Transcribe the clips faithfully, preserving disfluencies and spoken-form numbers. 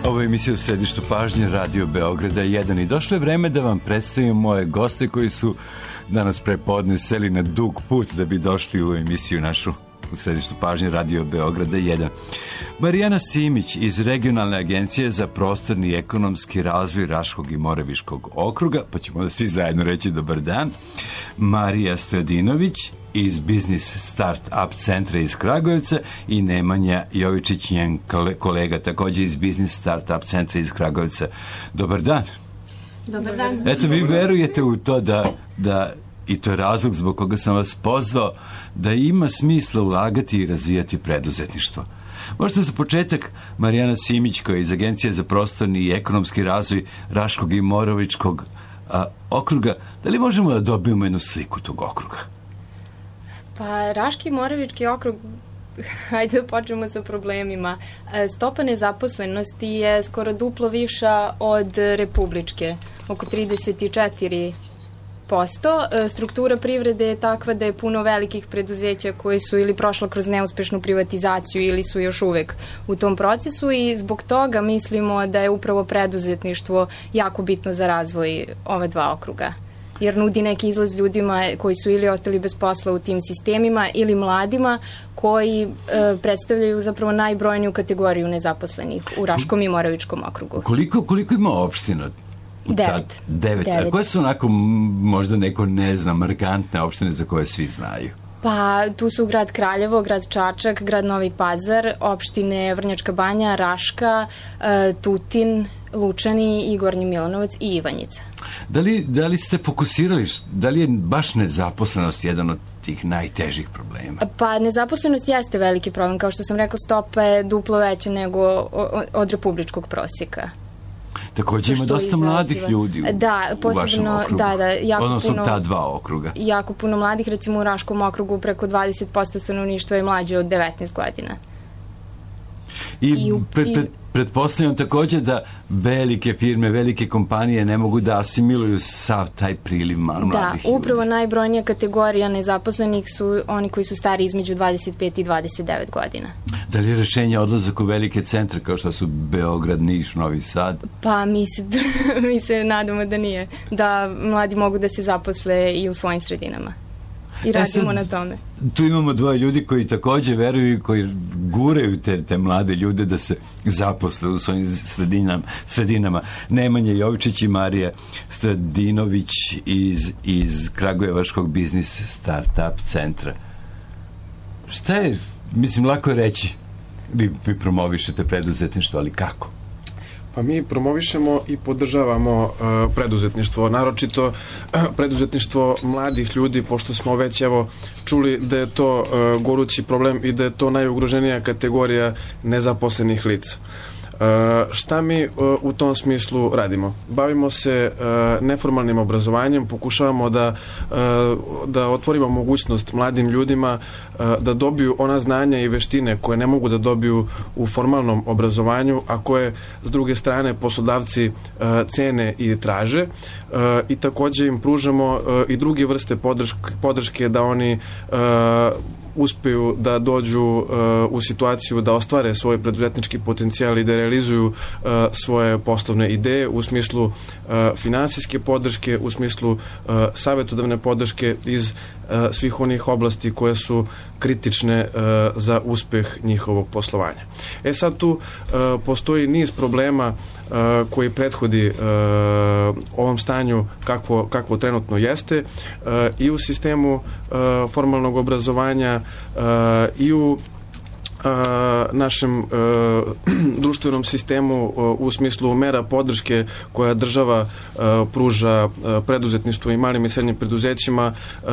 Ovo je emisija u središtu pažnje Radio Beograda jedan i došlo je vreme da vam predstavim moje goste koji su danas prepodne seli na dug put da bi došli u emisiju našu u središtu pažnje Radio Beograda jedan. Marijana Simić iz Regionalne agencije za prostorni i ekonomski razvoj Raškog i Moraviškog okruga, pa ćemo da svi zajedno reći dobar dan. Marija Stojadinović iz Biznis Start-up centra iz Kragujevca i Nemanja Jovičić, njen kolega također iz Biznis Start-up centra iz Kragujevca. Dobar dan. Dobar dan. Eto, vi verujete u to da, da i to je razlog zbog koga sam vas pozvao, da ima smisla ulagati i razvijati preduzetništvo. Možda za početak Marijana Simić, koja je iz Agencije za prostorni i ekonomski razvoj Raškog i Moravičkog a, okruga, da li možemo da dobijemo jednu sliku tog okruga? Pa Raški i Moravički okrug, hajde da počnemo sa problemima. Stopa nezaposlenosti je skoro duplo viša od republičke, oko trideset četiri posto. Struktura privrede je takva da je puno velikih preduzeća koji su ili prošla kroz neuspešnu privatizaciju ili su još uvek u tom procesu i zbog toga mislimo da je upravo preduzetništvo jako bitno za razvoj ove dva okruga. Jer nudi neki izlaz ljudima koji su ili ostali bez posla u tim sistemima ili mladima koji e, predstavljaju zapravo najbrojniju kategoriju nezaposlenih u Raškom i Moravičkom okrugu. Koliko, koliko ima opština? Devet. Devet. Devet. A koje su onako, možda neko ne zna, markantne opštine za koje svi znaju? Pa tu su grad Kraljevo, grad Čačak, grad Novi Pazar, opštine Vrnjačka Banja, Raška, e, Tutin, Lučani i Gornji Milanovac i Ivanjica. Da li, da li ste fokusirali, da li je baš nezaposlenost jedan od tih najtežih problema? Pa nezaposlenost jeste veliki problem. Kao što sam rekla, stopa je duplo veća nego od republičkog prosjeka. Također ima dosta izaziva mladih ljudi u, da, posebno, u vašem okrugu. Da, da, jako odnosno puno, ta dva okruga. Jako puno mladih, recimo u Raškom okrugu preko dvadeset posto stanovništva je mlađe od devetnaest godina. I, I pred, pred, pretpostavljam također da velike firme, velike kompanije ne mogu da asimiluju sav taj priliv mladih da, ljudi. Da, upravo najbrojnija kategorija nezaposlenih su oni koji su stari između dvadeset pet i dvadeset devet godina. Da li je rešenje odlazak u velike centre kao što su Beograd, Niš, Novi Sad? Pa mi se, mi se nadamo da nije. Da mladi mogu da se zaposle i u svojim sredinama. I radimo e sad, na tome. Tu imamo dvoje ljudi koji također veruju i koji guraju te, te mlade ljude da se zaposle u svojim sredinama. sredinama. Nemanja Jovičić i Marija Stojadinović iz, iz Kragujevačkog Biznis Start-up centra. Šta je, mislim, lako je reći, vi, vi promovišete preduzetništvo, ali kako? Pa mi promovišemo i podržavamo uh, preduzetništvo, naročito uh, preduzetništvo mladih ljudi, pošto smo već evo čuli da je to uh, gorući problem i da je to najugroženija kategorija nezaposlenih lica. Uh, šta mi uh, u tom smislu radimo? Bavimo se uh, neformalnim obrazovanjem, pokušavamo da, uh, da otvorimo mogućnost mladim ljudima uh, da dobiju ona znanja i veštine koje ne mogu da dobiju u formalnom obrazovanju, a koje s druge strane poslodavci uh, cene i traže uh, i također im pružamo uh, i druge vrste podrške, podrške da oni uh, uspeju da dođu uh, u situaciju da ostvare svoj preduzetnički potencijal i da realizuju uh, svoje poslovne ideje u smislu uh, finansijske podrške, u smislu uh, savjetodavne podrške iz uh, svih onih oblasti koje su kritične uh, za uspeh njihovog poslovanja. E sad tu uh, postoji niz problema uh, koji prethodi uh, ovom stanju kakvo, kakvo trenutno jeste uh, i u sistemu uh, formalnog obrazovanja Uh, i u uh, našem uh, društvenom sistemu uh, u smislu mera podrške koja država uh, pruža uh, preduzetništvu i malim i srednjim preduzećima, uh,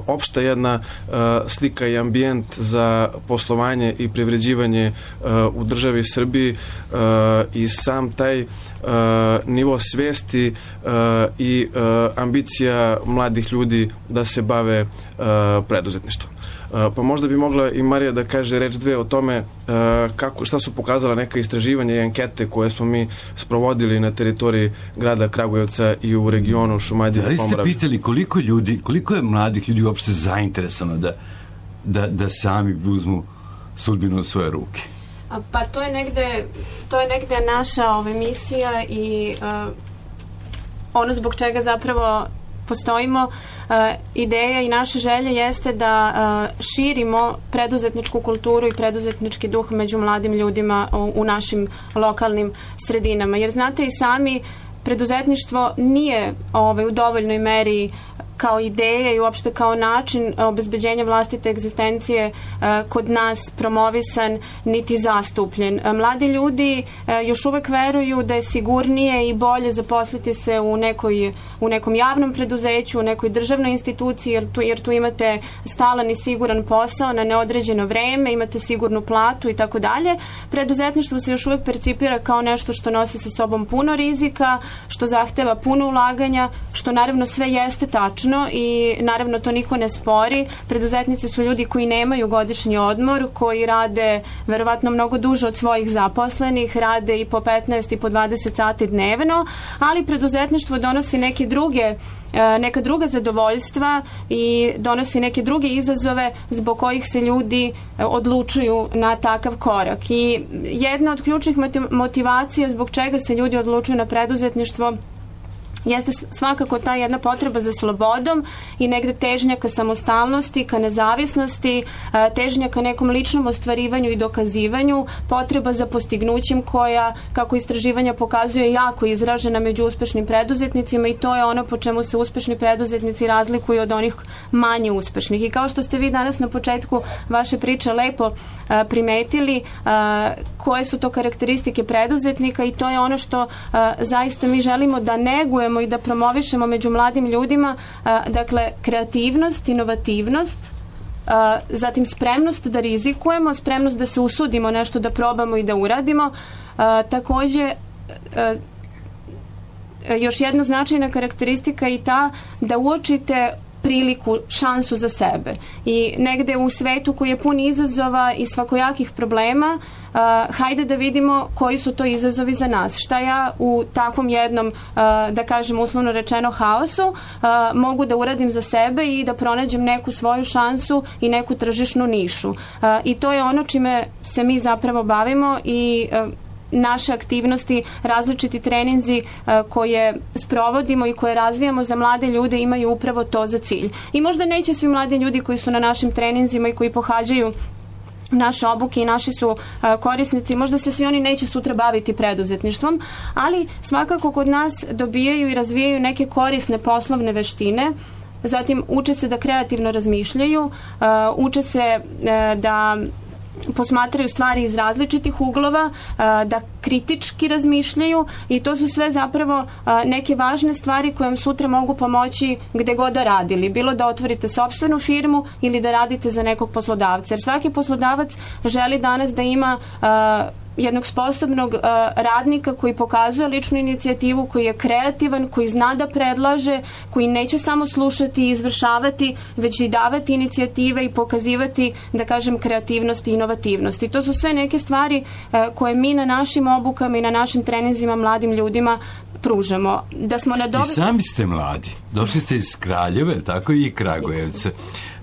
opšta jedna uh, slika i ambijent za poslovanje i privređivanje uh, u državi Srbiji uh, i sam taj uh, nivo svesti uh, i uh, ambicija mladih ljudi da se bave uh, preduzetništvom. Pa možda bi mogla i Marija da kaže reč dve o tome kako, šta su pokazala neka istraživanja i ankete koje smo mi sprovodili na teritoriji grada Kragujevca i u regionu Šumadije. Da li ste pitali koliko ljudi, koliko je mladih ljudi uopšte zainteresovano da, da, da sami uzmu sudbinu u svoje ruke? Pa to je negde, to je negde naša ova misija i uh, ono zbog čega zapravo postojimo. Uh, ideja i naša želja jeste da uh, širimo preduzetničku kulturu i preduzetnički duh među mladim ljudima u, u našim lokalnim sredinama. Jer znate i sami, preduzetništvo nije ovaj, u dovoljnoj meri kao ideja i uopšte kao način obezbeđenja vlastite egzistencije uh, kod nas promovisan niti zastupljen. Uh, mladi ljudi uh, još uvek veruju da je sigurnije i bolje zaposliti se u, nekoj, u nekom javnom preduzeću, u nekoj državnoj instituciji, jer tu, jer tu imate stalan i siguran posao na neodređeno vreme, imate sigurnu platu i tako dalje. Preduzetništvo se još uvek percipira kao nešto što nosi sa sobom puno rizika, što zahteva puno ulaganja, što naravno sve jeste tačno i naravno to niko ne spori. Preduzetnici su ljudi koji nemaju godišnji odmor, koji rade verovatno mnogo duže od svojih zaposlenih, rade i po petnaest i po dvadeset sati dnevno, ali preduzetništvo donosi neke druge neka druga zadovoljstva i donosi neke druge izazove zbog kojih se ljudi odlučuju na takav korak. I jedna od ključnih motivacija zbog čega se ljudi odlučuju na preduzetništvo jeste svakako ta jedna potreba za slobodom i negde težnja ka samostalnosti, ka nezavisnosti, težnja ka nekom ličnom ostvarivanju i dokazivanju, potreba za postignućem koja, kako istraživanja pokazuje, jako izražena među uspešnim preduzetnicima i to je ono po čemu se uspešni preduzetnici razlikuju od onih manje uspešnih. I kao što ste vi danas na početku vaše priče lepo a, primetili a, koje su to karakteristike preduzetnika i to je ono što a, zaista mi želimo da negujemo i da promovišemo među mladim ljudima, dakle, kreativnost, inovativnost, zatim spremnost da rizikujemo, spremnost da se usudimo nešto da probamo i da uradimo. Takođe, još jedna značajna karakteristika je i ta da uočite priliku, šansu za sebe. I negde u svetu koji je pun izazova i svakojakih problema, uh, hajde da vidimo koji su to izazovi za nas. Šta ja u takvom jednom, uh, da kažem uslovno rečeno, haosu uh, mogu da uradim za sebe i da pronađem neku svoju šansu i neku tržišnu nišu. Uh, I to je ono čime se mi zapravo bavimo i uh, naše aktivnosti, različiti treninzi uh, koje sprovodimo i koje razvijamo za mlade ljude imaju upravo to za cilj. I možda neće svi mladi ljudi koji su na našim treninzima i koji pohađaju naše obuke i naši su uh, korisnici, možda se svi oni neće sutra baviti preduzetništvom, ali svakako kod nas dobijaju i razvijaju neke korisne poslovne veštine. Zatim uče se da kreativno razmišljaju, uh, uče se uh, da posmatraju stvari iz različitih uglova, da kritički razmišljaju i to su sve zapravo neke važne stvari koje vam sutra mogu pomoći gde god da radili. Bilo da otvorite sopstvenu firmu ili da radite za nekog poslodavca. Jer svaki poslodavac želi danas da ima jednog sposobnog uh, radnika koji pokazuje ličnu inicijativu, koji je kreativan, koji zna da predlaže, koji neće samo slušati i izvršavati, već i davati inicijative i pokazivati, da kažem, kreativnost i inovativnost. I to su sve neke stvari uh, koje mi na našim obukama i na našim treninzima mladim ljudima pružamo. Da smo na dobro... I sami ste mladi. Došli ste iz Kraljeve, tako i Kragujevce.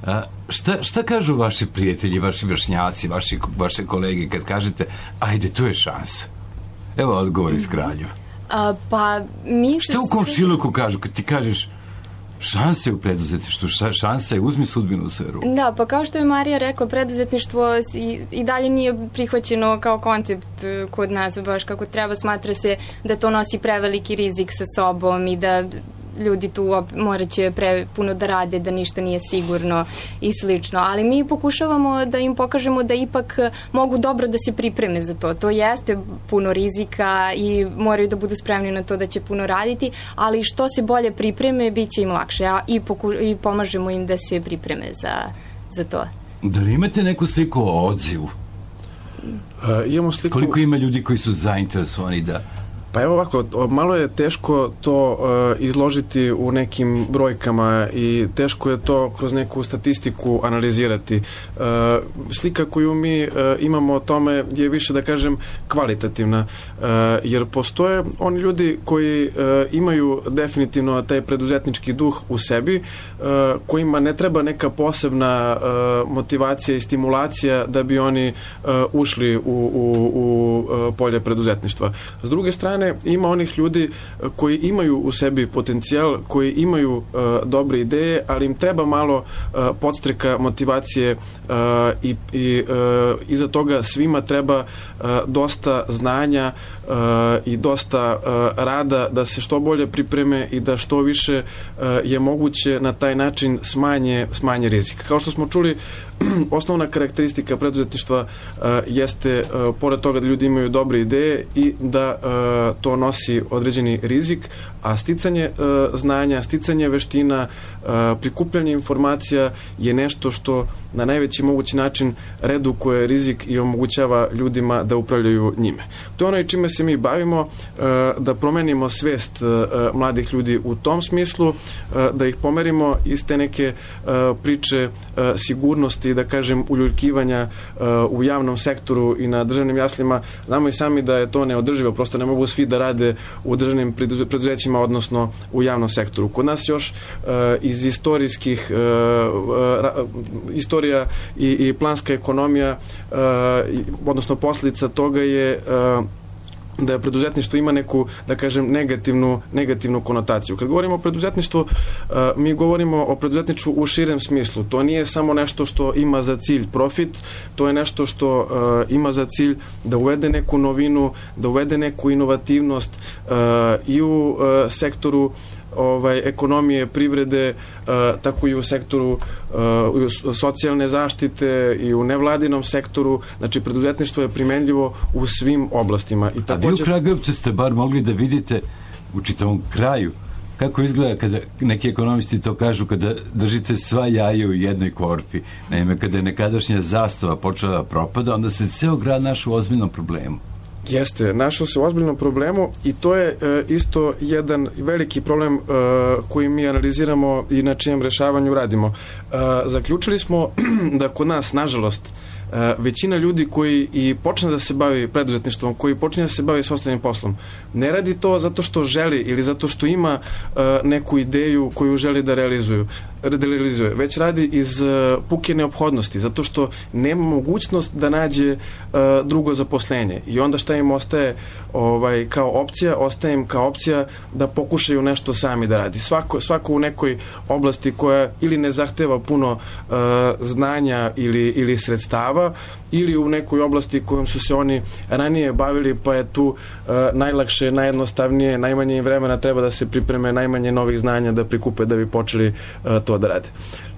A, šta, šta kažu vaši prijatelji, vaši vršnjaci, vaši, vaše kolege kad kažete ajde, to je šansa? Evo odgovor iz Kraljeva. A, pa mi šta u komšiluku kažu kad ti kažeš šansa je u preduzetništvu, šansa je uzmi sudbinu u svoje ruke? Da, pa kao što je Marija rekla, preduzetništvo i, i dalje nije prihvaćeno kao koncept kod nas, baš kako treba. Smatra se da to nosi preveliki rizik sa sobom i da ljudi tu morat će pre puno da rade, da ništa nije sigurno i slično. Ali mi pokušavamo da im pokažemo da ipak mogu dobro da se pripreme za to. To jeste puno rizika i moraju da budu spremni na to da će puno raditi, ali što se bolje pripreme, bit će im lakše. A i, poku, i pomažemo im da se pripreme za, za to. Da li imate neku sliku o odzivu? Uh, imamo sliku... Koliko ima ljudi koji su zainteresovani da Pa evo ovako, malo je teško to uh, izložiti u nekim brojkama i teško je to kroz neku statistiku analizirati. Uh, slika koju mi uh, imamo o tome je više, da kažem, kvalitativna, uh, jer postoje oni ljudi koji uh, imaju definitivno taj preduzetnički duh u sebi, uh, kojima ne treba neka posebna uh, motivacija i stimulacija da bi oni uh, ušli u, u, u uh, polje preduzetništva. S druge strane, ima onih ljudi koji imaju u sebi potencijal, koji imaju uh, dobre ideje, ali im treba malo uh, podstreka motivacije uh, i, i uh, iza toga svima treba uh, dosta znanja uh, i dosta uh, rada da se što bolje pripreme i da što više uh, je moguće na taj način smanje, smanje rizika. Kao što smo čuli, osnovna karakteristika preduzetništva uh, jeste, uh, pored toga da ljudi imaju dobre ideje i da uh, to nosi određeni rizik, a sticanje uh, znanja, sticanje veština, uh, prikupljanje informacija je nešto što na najveći mogući način redukuje rizik i omogućava ljudima da upravljaju njime. To je ono i čime se mi bavimo, uh, da promenimo svest uh, mladih ljudi u tom smislu, uh, da ih pomerimo iz te neke uh, priče uh, sigurnosti, da kažem, uljuljkivanja uh, u javnom sektoru i na državnim jaslima. Znamo i sami da je to neodrživo, prosto ne mogu svi da rade u državnim preduzećima, odnosno u javnom sektoru. Kod nas još uh, iz istorijskih uh, uh, istorija i, i planska ekonomija, uh, odnosno posljedica toga je uh, da preduzetništvo ima neku, da kažem, negativnu, negativnu konotaciju. Kad govorimo o preduzetništvu, mi govorimo o preduzetništvu u širem smislu. To nije samo nešto što ima za cilj profit, to je nešto što ima za cilj da uvede neku novinu, da uvede neku inovativnost i u sektoru ovaj ekonomije, privrede, uh, tako i u sektoru uh, socijalne zaštite i u nevladinom sektoru. Znači, preduzetništvo je primenljivo u svim oblastima. I također... A vi u Kragujevcu ste bar mogli da vidite u čitavom kraju kako izgleda kada neki ekonomisti to kažu, kada držite sva jaja u jednoj korpi. Naime, kada je nekadašnja zastava počela da propada, onda se ceo grad našao u ozbiljnom problemu. Jeste, našao se u ozbiljnom problemu i to je e, isto jedan veliki problem e, koji mi analiziramo i na čijem rešavanju radimo. E, zaključili smo da kod nas, nažalost, e, većina ljudi koji i počne da se bavi preduzetništvom, koji počne da se bavi sopstvenim poslom, ne radi to zato što želi ili zato što ima e, neku ideju koju želi da realizuju. realizuje, već radi iz uh, puke neophodnosti, zato što nema mogućnost da nađe uh, drugo zaposlenje. I onda šta im ostaje ovaj, kao opcija? Ostaje im kao opcija da pokušaju nešto sami da radi. Svako, svako u nekoj oblasti koja ili ne zahteva puno uh, znanja ili, ili sredstava, ili u nekoj oblasti kojom su se oni ranije bavili, pa je tu uh, najlakše, najjednostavnije, najmanje im vremena treba da se pripreme, najmanje novih znanja da prikupe da bi počeli uh, to da rade.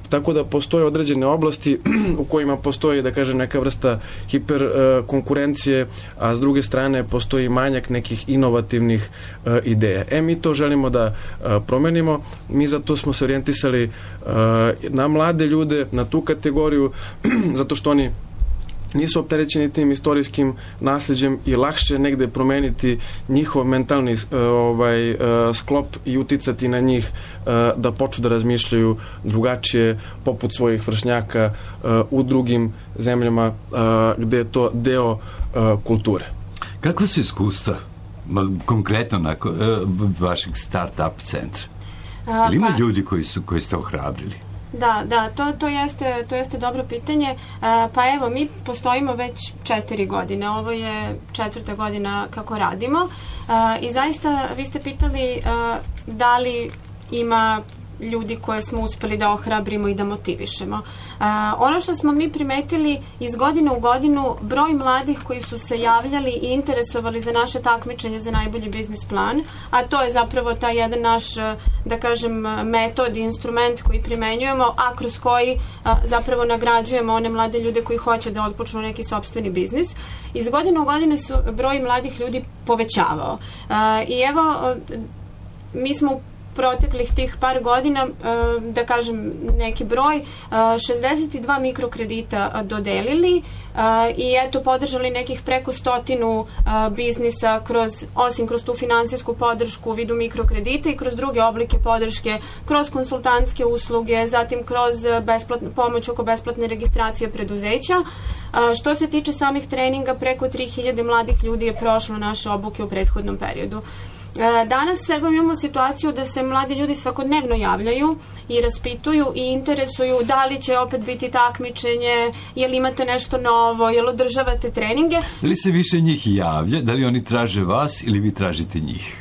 Tako da postoje određene oblasti u kojima postoji, da kažem, neka vrsta hiper uh, konkurencije, a s druge strane postoji manjak nekih inovativnih uh, ideja. E, mi to želimo da uh, promenimo. Mi zato smo se orijentisali uh, na mlade ljude, na tu kategoriju, zato što oni nisu opterećeni tim istorijskim nasljeđem i lakše negde promeniti njihov mentalni uh, ovaj, uh, sklop i uticati na njih uh, da počnu da razmišljaju drugačije, poput svojih vršnjaka uh, u drugim zemljama uh, gde je to deo uh, kulture. Kakva su iskustva konkretno nakon uh, vašeg start-up centra? Ili ima pa... ljudi koji su koji ste ohrabrili? Da, da, to, to, jeste, to jeste dobro pitanje. E, pa evo, mi postojimo već četiri godine. Ovo je četvrta godina kako radimo. E, I zaista, vi ste pitali e, da li ima ljudi koje smo uspeli da ohrabrimo i da motivišemo. Uh, ono što smo mi primetili iz godine u godinu, broj mladih koji su se javljali i interesovali za naše takmičenje za najbolji biznis plan, a to je zapravo taj jedan naš, da kažem, metod i instrument koji primenjujemo, a kroz koji uh, zapravo nagrađujemo one mlade ljude koji hoće da otpočnu neki sopstveni biznis. Iz godine u godine su broj mladih ljudi povećavao. Uh, I evo, uh, mi smo proteklih tih par godina, da kažem neki broj, šezdeset dva mikrokredita dodelili i eto podržali nekih preko stotinu biznisa kroz, osim kroz tu finansijsku podršku u vidu mikrokredita i kroz druge oblike podrške, kroz konsultantske usluge, zatim kroz besplatnu pomoć oko besplatne registracije preduzeća. Što se tiče samih treninga, preko tri hiljade mladih ljudi je prošlo naše obuke u prethodnom periodu. Danas evo imamo situaciju da se mladi ljudi svakodnevno javljaju i raspituju i interesuju da li će opet biti takmičenje, jel imate nešto novo, jel održavate treninge. Da li se više njih javlja, da li oni traže vas ili vi tražite njih?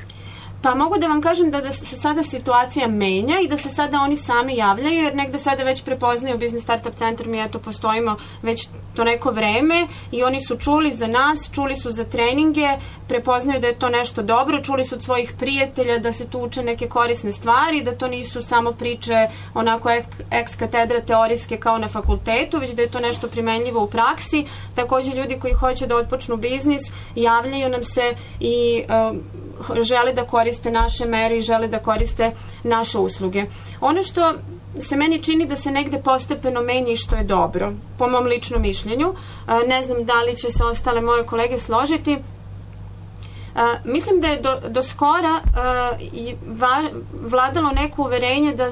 Pa mogu da vam kažem da, da se sada situacija menja i da se sada oni sami javljaju, jer negde sada već prepoznaju Biznis Startup Centar, mi eto postojimo već to neko vreme i oni su čuli za nas, čuli su za treninge, prepoznaju da je to nešto dobro, čuli su od svojih prijatelja da se tu uče neke korisne stvari, da to nisu samo priče onako ex katedra teorijske kao na fakultetu, već da je to nešto primenljivo u praksi. Takođe ljudi koji hoće da otpočnu biznis javljaju nam se i uh, žele da koriste naše mere i žele da koriste naše usluge. Ono što se meni čini da se negde postepeno menja i što je dobro, po mom ličnom mišljenju, ne znam da li će se ostale moje kolege složiti, mislim da je do, do skora vladalo neko uverenje da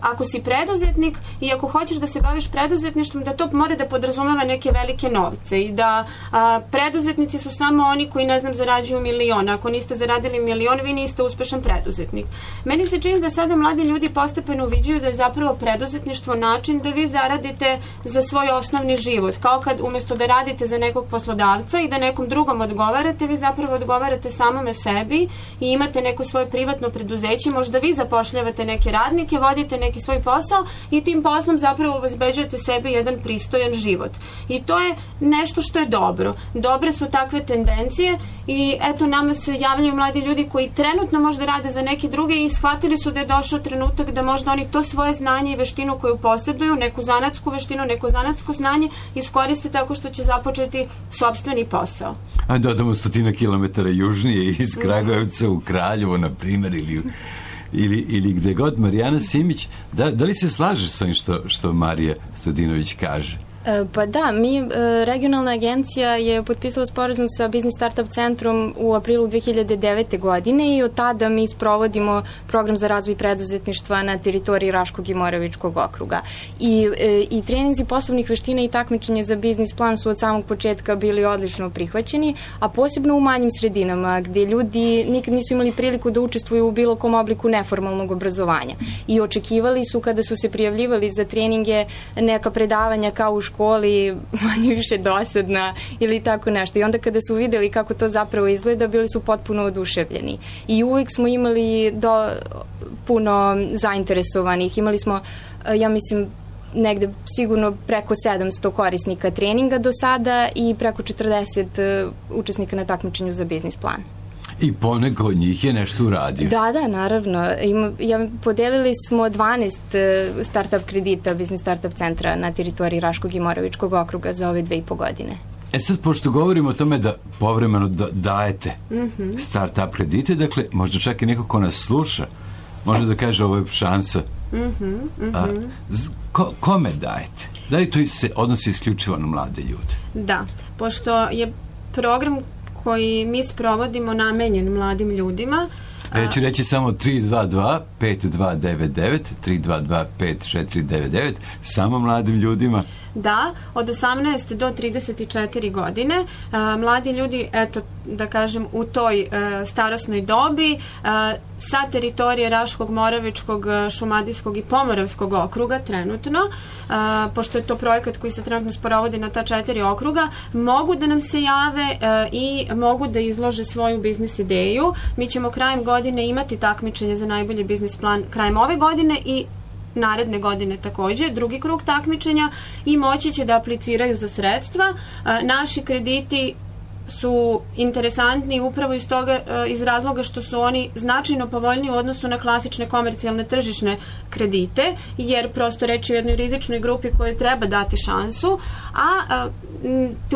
ako si preduzetnik i ako hoćeš da se baviš preduzetništvom, da to mora da podrazumeva neke velike novce i da a, preduzetnici su samo oni koji, ne znam, zarađuju milion. Ako niste zaradili milion, vi niste uspešan preduzetnik. Meni se čini da sada mladi ljudi postepeno uviđaju da je zapravo preduzetništvo način da vi zaradite za svoj osnovni život. Kao kad umjesto da radite za nekog poslodavca i da nekom drugom odgovarate, vi zapravo odgovarate samome sebi i imate neko svoje privatno preduzeće, možda vi zapošljavate neke radnike, vodite neke neki svoj posao i tim poslom zapravo obezbeđujete sebi jedan pristojan život. I to je nešto što je dobro. Dobre su takve tendencije i eto nama se javljaju mladi ljudi koji trenutno možda rade za neke druge i shvatili su da je došao trenutak da možda oni to svoje znanje i veštinu koju posjeduju, neku zanatsku veštinu, neko zanatsko znanje iskoriste tako što će započeti sopstveni posao. A dodamo stotina kilometara južnije iz Kragujevca u Kraljevo, na primjer, ili Ili, ili gde god. Marijana Simić, da, da li se slažeš s ovim što, što Marija Stojadinović kaže? Pa da, mi, regionalna agencija je potpisala sporazum sa Biznis Startup Centrom u aprilu dve hiljade devete. godine i od tada mi sprovodimo program za razvoj preduzetništva na teritoriji Raškog i Moravičkog okruga. I, i treninzi poslovnih veština i takmičenje za biznis plan su od samog početka bili odlično prihvaćeni, a posebno u manjim sredinama gde ljudi nikad nisu imali priliku da učestvuju u bilo kom obliku neformalnog obrazovanja. I očekivali su kada su se prijavljivali za treninge neka predavanja kao u školi, manje više dosadna ili tako nešto. I onda kada su videli kako to zapravo izgleda, bili su potpuno oduševljeni. I uvijek smo imali do, puno zainteresovanih. Imali smo, ja mislim, negde sigurno preko sedamsto korisnika treninga do sada i preko četrdeset učesnika na takmičenju za biznis plan. I poneko od njih je nešto uradio. Da, da, naravno. Ima, ja, podelili smo dvanaest uh, startup kredita Biznis Startup Centra na teritoriji Raškog i Moravičkog okruga za ove dve i po godine. E sad, pošto govorimo o tome da povremeno da, dajete mm-hmm. startup kredite, dakle, možda čak i neko ko nas sluša, može da kaže ovo je šansa. Mm-hmm, mm-hmm. A, ko, kome dajete? Da li to se odnosi isključivo na mlade ljude? Da, pošto je program koji mi sprovodimo namenjen mladim ljudima. Ja ću reći samo tri dva dva pet dva devet devet, tri dva dva pet četiri devet devet, samo mladim ljudima. Da, od osamnaeste do trideset četiri godine. A, mladi ljudi, eto, da kažem, u toj a, starosnoj dobi a, sa teritorije Raškog, Moravičkog, Šumadijskog i Pomoravskog okruga trenutno, a, pošto je to projekat koji se trenutno sprovodi na ta četiri okruga, mogu da nam se jave a, i mogu da izlože svoju biznis ideju. Mi ćemo krajem godine imati takmičenje za najbolji biznis plan krajem ove godine i naredne godine takođe, drugi krug takmičenja i moći će da apliciraju za sredstva. Naši krediti su interesantni upravo iz toga, iz razloga što su oni značajno povoljniji u odnosu na klasične komercijalne tržišne kredite, jer prosto reći o jednoj rizičnoj grupi kojoj treba dati šansu, a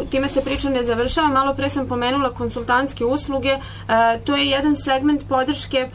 time se priča ne završava. Malo pre sam pomenula konsultantske usluge, to je jedan segment podrške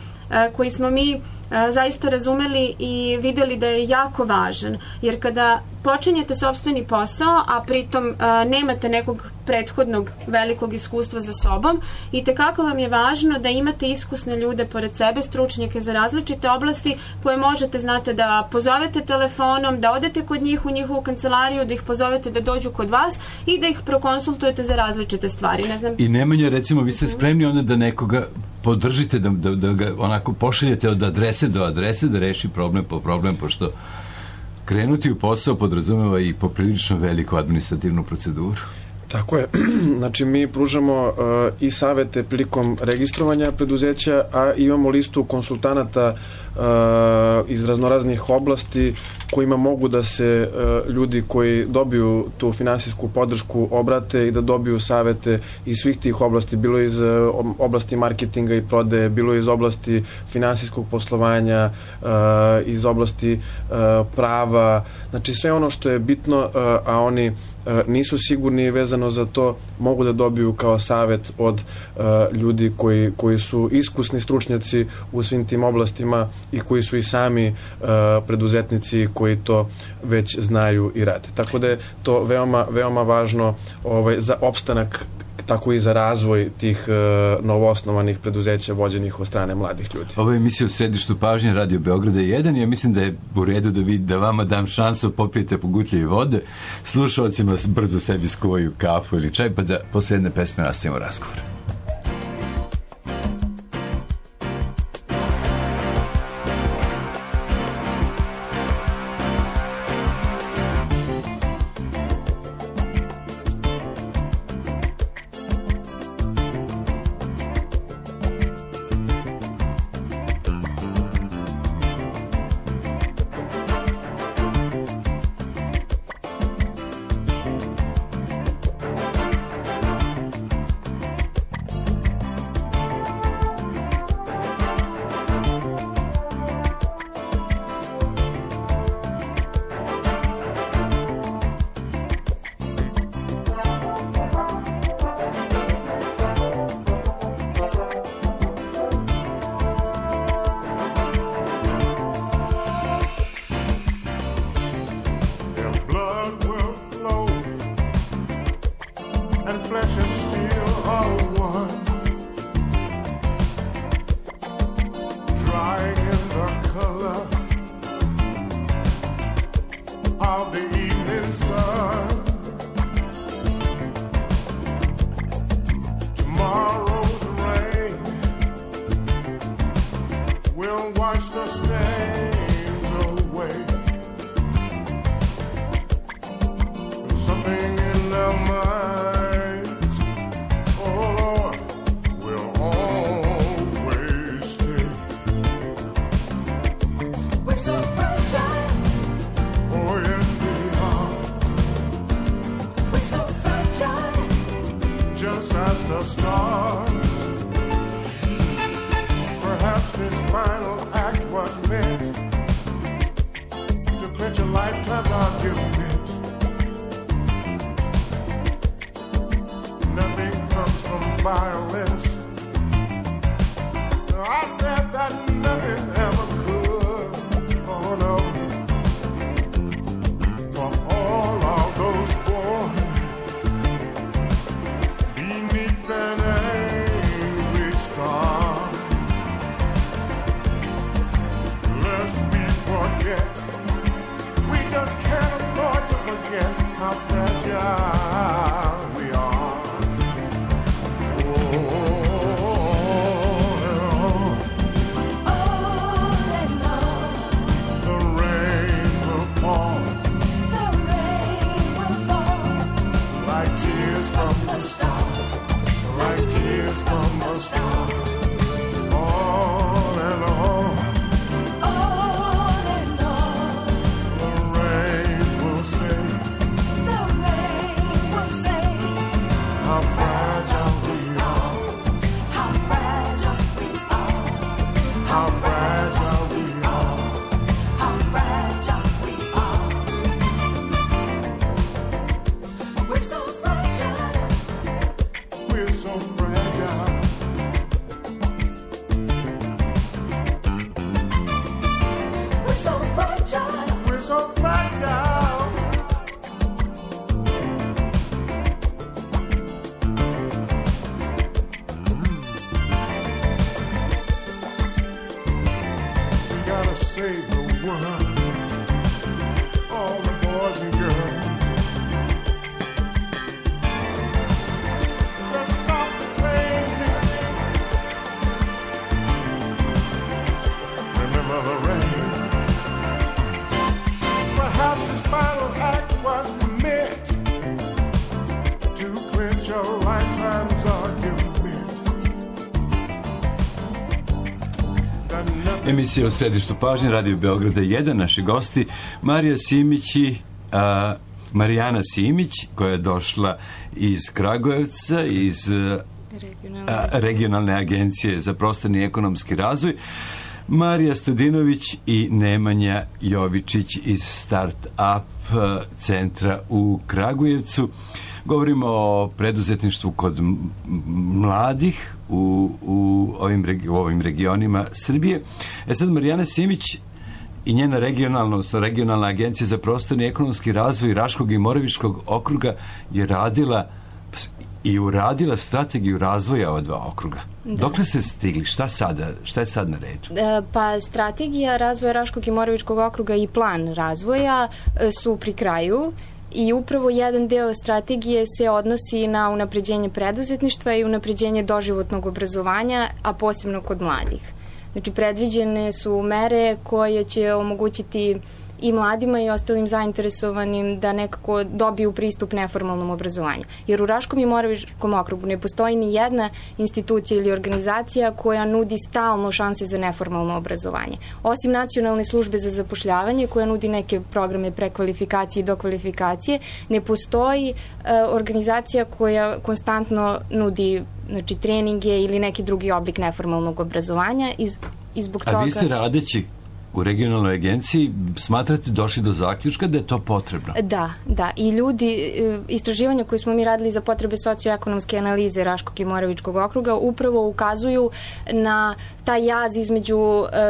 koji smo mi zaista razumeli i videli da je jako važan. Jer kada počinjete sopstveni posao, a pritom nemate nekog prethodnog velikog iskustva za sobom, i tekako vam je važno da imate iskusne ljude pored sebe, stručnjake za različite oblasti koje možete, znate, da pozovete telefonom, da odete kod njih u njihovu kancelariju, da ih pozovete da dođu kod vas i da ih prokonsultujete za različite stvari. Ne znam. I Nemanja, recimo, vi ste spremni onda da nekoga podržite, da, da, da ga onako pošaljete od adrese do adrese, da reši problem po problem, pošto krenuti u posao podrazumeva i poprilično veliku administrativnu proceduru. Tako je. Znači, mi pružamo uh, i savete prilikom registrovanja preduzeća, a imamo listu konsultanata uh, iz raznoraznih oblasti kojima mogu da se uh, ljudi koji dobiju tu finansijsku podršku obrate i da dobiju savete iz svih tih oblasti, bilo iz uh, oblasti marketinga i prodaje, bilo iz oblasti finansijskog poslovanja, uh, iz oblasti uh, prava, znači sve ono što je bitno, uh, a oni uh, nisu sigurni vezano za to, mogu da dobiju kao savet od uh, ljudi koji, koji su iskusni stručnjaci u svim tim oblastima i koji su i sami uh, preduzetnici koji to već znaju i rade. Tako da je to veoma, veoma važno ovaj, za opstanak, tako i za razvoj tih uh, novoosnovanih preduzeća vođenih od strane mladih ljudi. Ovo je emisija u središtu pažnje Radio Beograda jedan i ja mislim da je u redu da, vi, da vama dam šansu, popijete pogutljive vode, slušalcima brzo sebi skuvaju kafu ili čaj, pa da posle jedne pesme nastavimo razgovor. Emisija u središtu pažnje, Radio Beograda jedan, naši gosti Marija Simić i a, Marijana Simić, koja je došla iz Kragujevca, iz regionalne, a, regionalne agencije za prostorni i ekonomski razvoj, Marija Stodinović i Nemanja Jovičić iz Start-up centra u Kragujevcu. Govorimo o preduzetništvu kod mladih u, u, ovim, u ovim regionima Srbije. E sad, Marijana Simić i njena regionalna, odnosno regionalna agencija za prostorni i ekonomski razvoj Raškog i Moravičkog okruga je radila i uradila strategiju razvoja ova dva okruga. Da. Dokle ste stigli? Šta sada? Šta je sad na redu? Pa strategija razvoja Raškog i Moravičkog okruga i plan razvoja su pri kraju i upravo jedan deo strategije se odnosi na unapređenje preduzetništva i unapređenje doživotnog obrazovanja, a posebno kod mladih. Znači, predviđene su mere koje će omogućiti i mladima i ostalim zainteresovanim da nekako dobiju pristup neformalnom obrazovanju. Jer u Raškom i Moravičkom okrugu ne postoji ni jedna institucija ili organizacija koja nudi stalno šanse za neformalno obrazovanje. Osim Nacionalne službe za zapošljavanje koja nudi neke programe prekvalifikacije i dokvalifikacije, ne postoji e, organizacija koja konstantno nudi, znači, treninge ili neki drugi oblik neformalnog obrazovanja i, i zbog toga... A vi ste radeći u regionalnoj agenciji smatrate došli do zaključka da je to potrebno? Da, da. I ljudi, istraživanja koje smo mi radili za potrebe socioekonomske analize Raškog i Moravičkog okruga upravo ukazuju na taj jaz između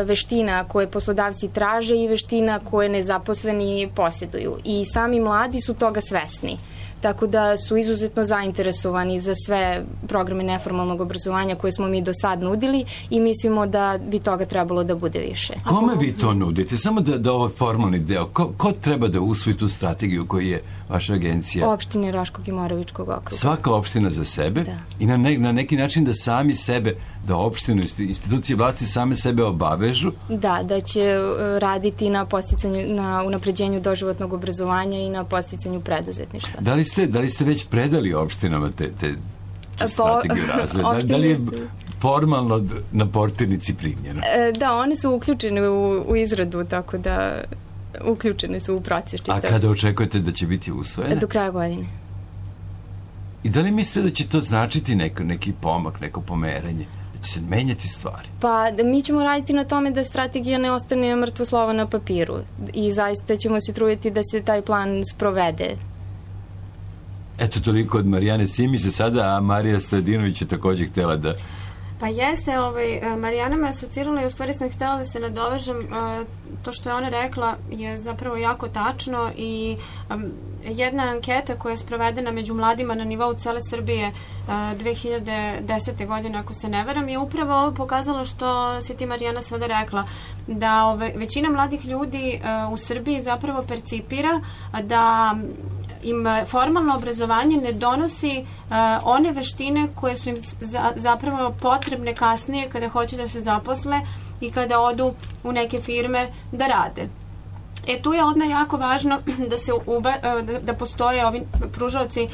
veština koje poslodavci traže i veština koje nezaposleni posjeduju. I sami mladi su toga svesni. Tako da su izuzetno zainteresovani za sve programe neformalnog obrazovanja koje smo mi do sad nudili i mislimo da bi toga trebalo da bude više. Kome vi to nudite? Samo da, da ovo formalni deo. Ko, ko treba da usvoji tu strategiju koju je vaša agencija? Opštine Raškog i Moravičkog okruga. Svaka opština za sebe? Da. I na, ne, na neki način da sami sebe, da opštinu, institucije vlasti same sebe obavežu? Da, da će raditi na podsticanju, na unapređenju doživotnog obrazovanja i na podsticanju preduzetništva. Da li ste, da li ste već predali opštinama te, te, te strategiju razvoja? Da, da li je formalno na portirnici primljeno? Da, one su uključene u, u izradu, tako da uključene su u proces. A kada očekujete da će biti usvojene? Do kraja godine. I da li mislite da će to značiti neko, neki pomak, neko pomeranje? Da će se menjati stvari? Pa mi ćemo raditi na tome da strategija ne ostane mrtvo slovo na papiru i zaista ćemo se truditi da se taj plan sprovede. Eto, toliko od Marijane Simić za sada, a Marija Stojadinović je također htjela da... Pa jeste, ovaj, Marijana me asocirala i u stvari sam htjela da se nadovežem, to što je ona rekla je zapravo jako tačno i um, jedna anketa koja je sprovedena među mladima na nivou cele Srbije uh, dve hiljade desete. godine, ako se ne varam, je upravo ovo pokazalo što si ti, Marijana, sada rekla, da ove, većina mladih ljudi uh, u Srbiji zapravo percipira da im formalno obrazovanje ne donosi uh, one veštine koje su im za, zapravo potrebne kasnije kada hoće da se zaposle i kada odu u neke firme da rade. E, tu je odna jako važno da se uba, da, da postoje ovi pružaoci uh,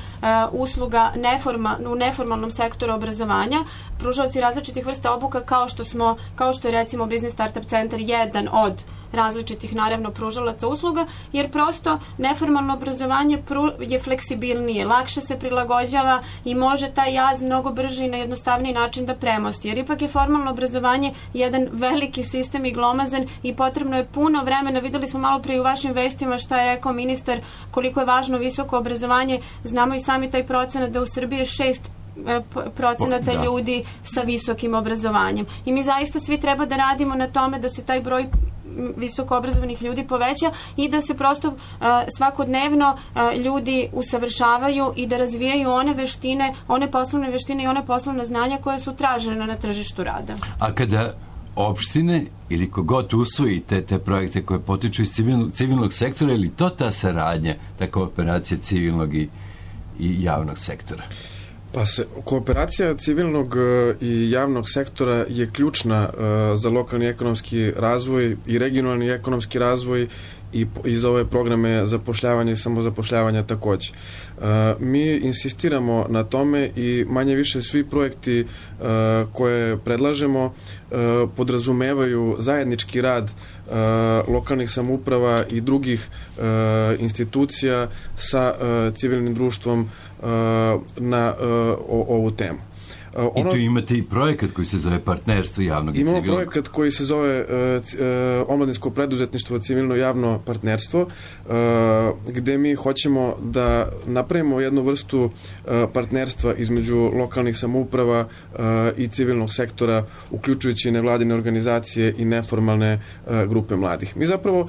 usluga neforma, u neformalnom sektoru obrazovanja, pružaoci različitih vrsta obuka kao što smo, kao što je recimo Business Startup centar jedan od različitih, naravno, pružalaca usluga, jer prosto neformalno obrazovanje pru, je fleksibilnije, lakše se prilagođava i može taj jaz mnogo brže i na jednostavniji način da premosti. Jer ipak je formalno obrazovanje jedan veliki sistem i glomazan i potrebno je puno vremena. Videli smo malo prije u vašim vestima šta je rekao ministar, koliko je važno visoko obrazovanje. Znamo i sami taj procenat da u Srbiji je šest procenata da. ljudi sa visokim obrazovanjem. I mi zaista svi treba da radimo na tome da se taj broj visoko obrazovanih ljudi poveća i da se prosto uh, svakodnevno uh, ljudi usavršavaju i da razvijaju one veštine, one poslovne veštine i one poslovne znanja koje su tražene na tržištu rada. A kada opštine ili kogod usvoji te, te projekte koje potiču iz civilnog, civilnog sektora, ili to ta saradnja, ta kooperacija civilnog i, i javnog sektora? Pa se, kooperacija civilnog i javnog sektora je ključna uh, za lokalni ekonomski razvoj i regionalni ekonomski razvoj i iz ove programe zapošljavanja i samozapošljavanja takođe. Mi insistiramo na tome i manje više svi projekti koje predlažemo podrazumevaju zajednički rad lokalnih samouprava i drugih institucija sa civilnim društvom na ovu temu. Ono, I tu imate i projekat koji se zove Partnerstvo javnog i civilnog. Imamo projekat koji se zove uh, uh, Omladinsko preduzetništvo civilno javno partnerstvo, uh, gde mi hoćemo da napravimo jednu vrstu uh, partnerstva između lokalnih samouprava uh, i civilnog sektora, uključujući nevladine organizacije i neformalne uh, grupe mladih. Mi zapravo uh,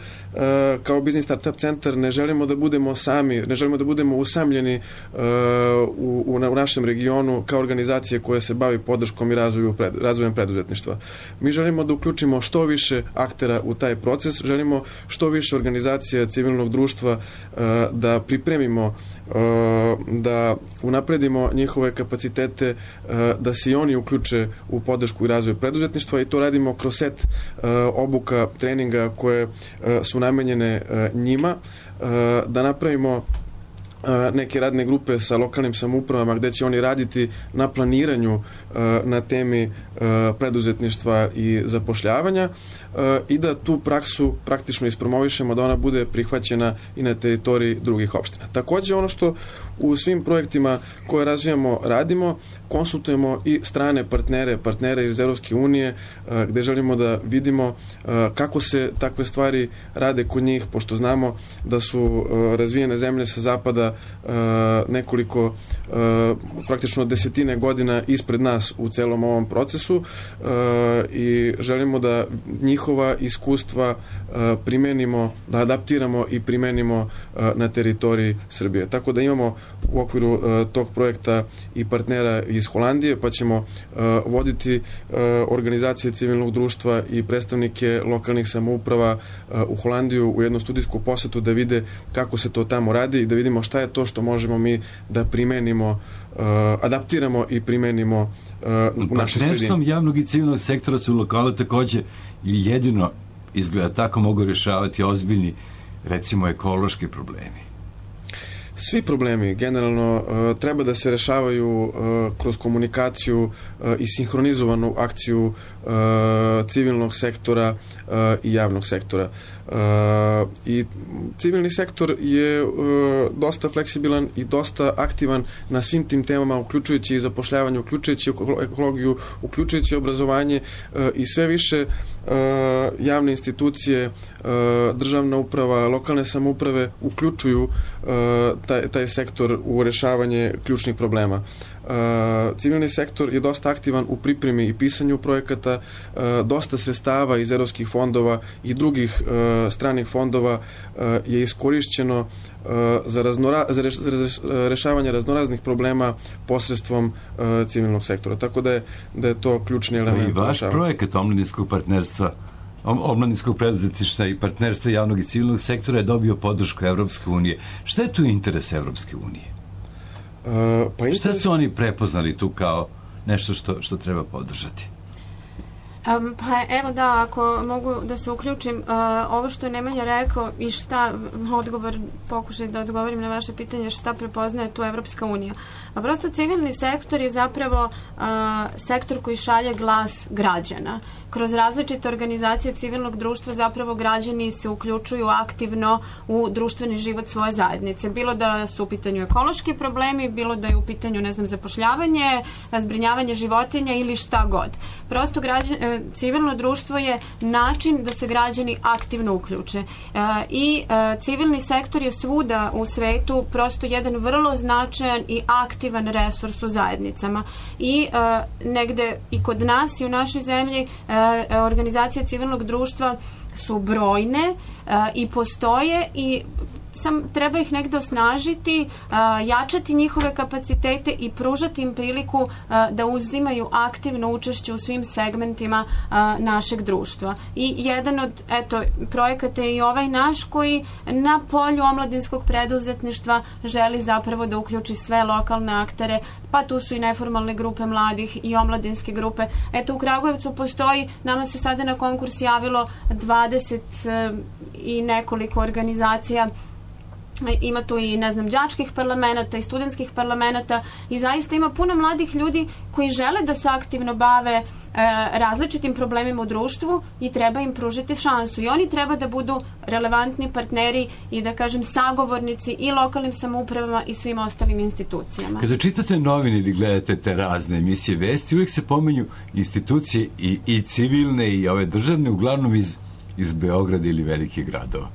kao Biznis Startup centar ne želimo da budemo sami, ne želimo da budemo usamljeni uh, u, u, u našem regionu kao organizacije koje se bavi podrškom i razvoju, pred, razvojem preduzetništva. Mi želimo da uključimo što više aktera u taj proces, želimo što više organizacija civilnog društva uh, da pripremimo, uh, da unapredimo njihove kapacitete, uh, da se i oni uključe u podršku i razvoj preduzetništva i to radimo kroz set uh, obuka, treninga koje uh, su namenjene uh, njima, uh, da napravimo neke radne grupe sa lokalnim samoupravama gde će oni raditi na planiranju na temi preduzetništva i zapošljavanja i da tu praksu praktično ispromovišemo, da ona bude prihvaćena i na teritoriji drugih opština. Takođe, ono što u svim projektima koje razvijamo radimo, konsultujemo i strane partnere, partnere iz Evropske unije, gde želimo da vidimo kako se takve stvari rade kod njih, pošto znamo da su razvijene zemlje sa zapada nekoliko, praktično desetine godina ispred nas u celom ovom procesu i želimo da njihova iskustva primenimo, da adaptiramo i primenimo na teritoriji Srbije. Tako da imamo u okviru tog projekta i partnera iz Holandije, pa ćemo voditi organizacije civilnog društva i predstavnike lokalnih samouprava u Holandiju u jednu studijsku posetu da vide kako se to tamo radi i da vidimo šta je to što možemo mi da primenimo, adaptiramo i primenimo u našoj sredini. Partnerstvom javnog i civilnog sektora su lokalu takođe ili jedino izgleda tako mogu rješavati ozbiljni, recimo, ekološki problemi. Svi problemi generalno uh, treba da se rešavaju uh, kroz komunikaciju uh, i sinhronizovanu akciju uh, civilnog sektora uh, i javnog sektora. Uh, I civilni sektor je uh, dosta fleksibilan i dosta aktivan na svim tim temama, uključujući i zapošljavanje, uključujući ekologiju, uključujući obrazovanje uh, i sve više uh, javne institucije, uh, državna uprava, lokalne samouprave uključuju uh, Taj, taj sektor u rešavanje ključnih problema. Uh, civilni sektor je dosta aktivan u pripremi i pisanju projekata, uh, dosta sredstava iz evropskih fondova i drugih uh, stranih fondova uh, je iskorišćeno uh, za, raznora, za, reš, za rešavanje raznoraznih problema posredstvom uh, civilnog sektora. Tako da je, da je to ključni element. I vaš projekat omladinskog partnerstva, omladinskog preduzetništva i partnerstva javnog i civilnog sektora je dobio podršku Evropske unije. Šta je tu interes Evropske unije? Uh, pa interes... Šta su oni prepoznali tu kao nešto što, što treba podržati? Um, pa evo da, ako mogu da se uključim, uh, ovo što je Nemanja rekao i šta, odgovor, pokušaj da odgovorim na vaše pitanje, šta prepoznaje tu Evropska unija. A prosto civilni sektor je zapravo uh, sektor koji šalje glas građana. Kroz različite organizacije civilnog društva zapravo građani se uključuju aktivno u društveni život svoje zajednice. Bilo da su u pitanju ekološki problemi, bilo da je u pitanju, ne znam, zapošljavanje, zbrinjavanje životinja ili šta god. Prosto građan, civilno društvo je način da se građani aktivno uključe. I civilni sektor je svuda u svetu prosto jedan vrlo značajan i aktivan resurs u zajednicama. I negde i kod nas i u našoj zemlji organizacije civilnog društva su brojne i postoje i sam treba ih negde osnažiti, jačati njihove kapacitete i pružati im priliku da uzimaju aktivno učešće u svim segmentima našeg društva. I jedan od eto, projekata je i ovaj naš koji na polju omladinskog preduzetništva želi zapravo da uključi sve lokalne aktere, pa tu su i neformalne grupe mladih i omladinske grupe. Eto, u Kragujevcu postoji, nama se sada na konkurs javilo dvadeset i nekoliko organizacija. Ima tu i, ne znam, đačkih parlamenta i studentskih parlamenta i zaista ima puno mladih ljudi koji žele da se aktivno bave e, različitim problemima u društvu i treba im pružiti šansu. I oni treba da budu relevantni partneri i, da kažem, sagovornici i lokalnim samoupravama i svim ostalim institucijama. Kada čitate novine ili gledate te razne emisije vesti, uvijek se pomenju institucije i, i civilne i ove državne, uglavnom iz, iz Beograda ili velikih gradova.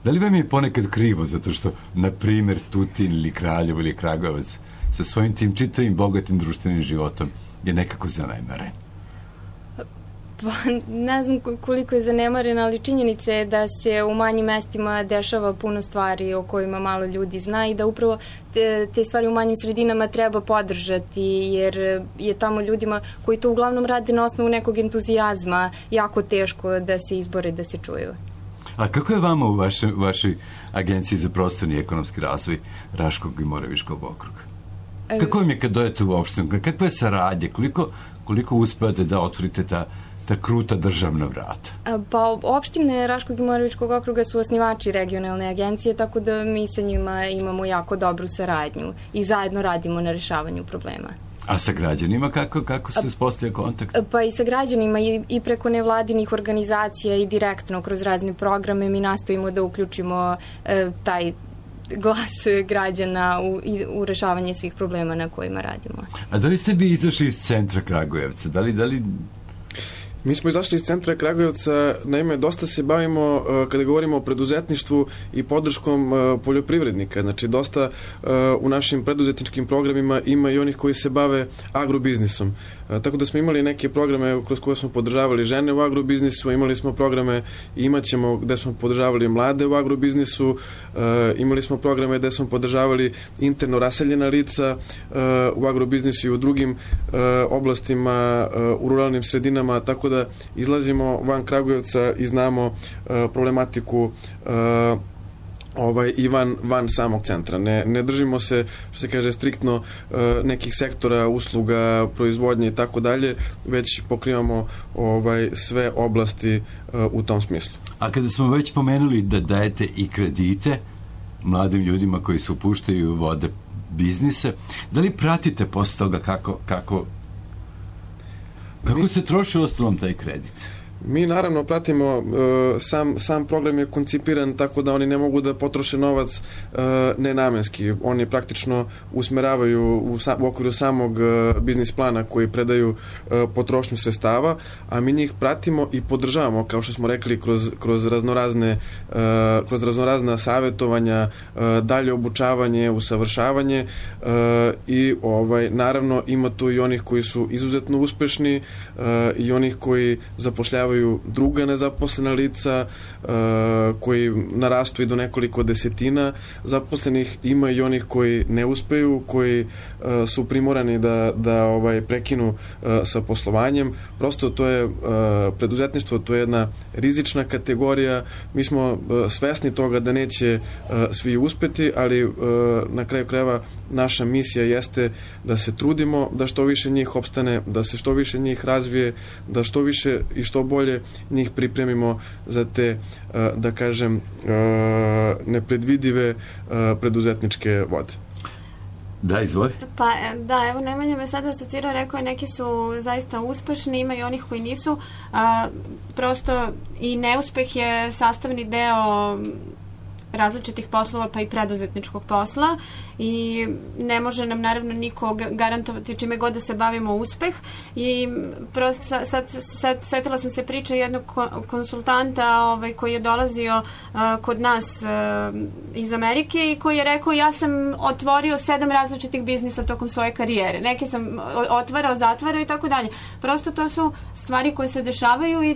Da li vam je ponekad krivo zato što, na primjer, Tutin ili Kraljevo ili Kragujevac sa svojim tim čitavim bogatim društvenim životom je nekako zanemaren? Pa ne znam koliko je zanemaren, ali činjenica je da se u manjim mestima dešava puno stvari o kojima malo ljudi zna i da upravo te, te stvari u manjim sredinama treba podržati, jer je tamo ljudima koji to uglavnom rade na osnovu nekog entuzijazma jako teško da se izbore, da se čuju. A kako je vama u vašoj, vašoj agenciji za prostorni i ekonomski razvoj Raškog i Moravičkog okruga? Kako vam je kad dojete u opštinu? Kakva je saradnja? Koliko, koliko uspevate da otvorite ta, ta kruta državna vrata? Pa opštine Raškog i Moravičkog okruga su osnivači regionalne agencije, tako da mi sa njima imamo jako dobru saradnju i zajedno radimo na rešavanju problema. A sa građanima kako, kako se uspostavlja kontakt? Pa i sa građanima i, i preko nevladinih organizacija i direktno kroz razne programe mi nastojimo da uključimo e, taj glas građana u, i, u rešavanje svih problema na kojima radimo. A da li ste vi izašli iz centra Kragujevca? Da li, da li... Mi smo izašli iz centra Kragujevca, naime, dosta se bavimo, kada govorimo o preduzetništvu i podrškom poljoprivrednika. Znači, dosta u našim preduzetničkim programima ima i onih koji se bave agrobiznisom. Tako da smo imali neke programe kroz koje smo podržavali žene u agrobiznisu, imali smo programe i imat ćemo gde smo podržavali mlade u agrobiznisu, imali smo programe gde smo podržavali interno raseljena lica u agrobiznisu i u drugim oblastima, u ruralnim sredinama, tako da izlazimo van Kragujevca i znamo problematiku ovaj, i van, van samog centra. Ne, ne držimo se, što se kaže, striktno uh, nekih sektora, usluga, proizvodnje i tako dalje, već pokrivamo ovaj, sve oblasti uh, u tom smislu. A kada smo već pomenuli da dajete i kredite mladim ljudima koji se upuštaju u vode biznise, da li pratite posle toga kako, kako, kako Mi... se troši ostalom taj kredit? Mi naravno pratimo, sam, sam program je koncipiran tako da oni ne mogu da potroše novac nenamenski. Oni praktično usmeravaju u, sa, u okviru samog biznis plana koji predaju potrošnju sredstava, a mi njih pratimo i podržavamo, kao što smo rekli, kroz, kroz raznorazne kroz raznorazna savjetovanja, dalje obučavanje, usavršavanje i ovaj, naravno ima tu i onih koji su izuzetno uspešni i onih koji zapošljavaju druga nezaposlena lica uh, koji narastu i do nekoliko desetina zaposlenih, ima i onih koji ne uspeju, koji uh, su primorani da, da ovaj, prekinu uh, sa poslovanjem. Prosto to je uh, preduzetništvo, to je jedna rizična kategorija. Mi smo uh, svesni toga da neće uh, svi uspeti, ali uh, na kraju krajeva naša misija jeste da se trudimo da što više njih opstane, da se što više njih razvije, da što više i što bolje njih pripremimo za te, da kažem, nepredvidive preduzetničke vode. Da, izvoli. Pa da, evo Nemanja me sada asocirao, rekao je neki su zaista uspešni, ima i onih koji nisu. A, prosto i neuspeh je sastavni deo različitih poslova, pa i preduzetničkog posla i ne može nam naravno niko garantovati čime god da se bavimo uspeh i prosto sad, sad, sad setila sam se priče jednog konsultanta ovaj, koji je dolazio uh, kod nas uh, iz Amerike i koji je rekao ja sam otvorio sedam različitih biznisa tokom svoje karijere. Neke sam otvarao, zatvarao i tako dalje. Prosto to su stvari koje se dešavaju i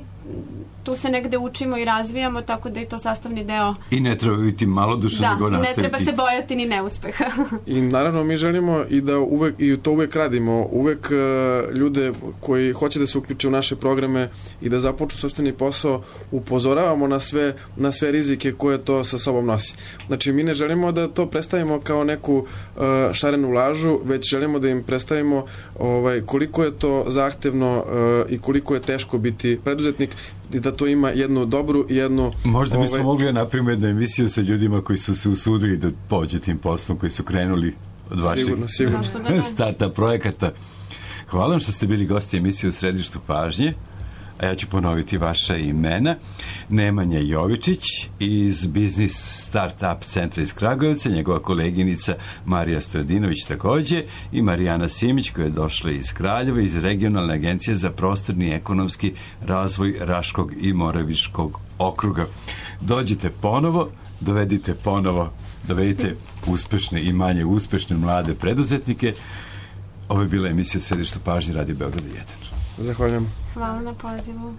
tu se negde učimo i razvijamo, tako da je to sastavni deo. I ne treba biti malodušan, da, nego nastaviti. Da, i ne treba se bojati ni neuspeha. I naravno mi želimo i da uvek, i to uvek radimo, uvek uh, ljude koji hoće da se uključe u naše programe i da započnu sopstveni posao, upozoravamo na sve, na sve rizike koje to sa sobom nosi. Znači, mi ne želimo da to predstavimo kao neku uh, šarenu lažu, već želimo da im predstavimo ovaj, koliko je to zahtevno uh, i koliko je teško biti preduzetnik i da to ima jednu dobru i jednu... Možda bismo ovaj, mogli napraviti jednu emisiju sa ljudima koji su se usudili da pođe tim poslom, koji su krenuli od vaših sigurno, sigurno. starta projekata. Hvala vam što ste bili gosti emisije u Središtu pažnje. A ja ću ponoviti vaša imena. Nemanja Jovičić iz Biznis Startup centra iz Kragujevca, njegova koleginica Marija Stojadinović takođe i Marijana Simić koja je došla iz Kraljeva iz Regionalne agencije za prostorni i ekonomski razvoj Raškog i Moravičkog okruga. Dođite ponovo, dovedite ponovo, dovedite uspešne i manje uspešne mlade preduzetnike. Ovo je bila emisija Središta pažnje Radio Beograda jedan. Zahvaljujem. Hvala na pozivu.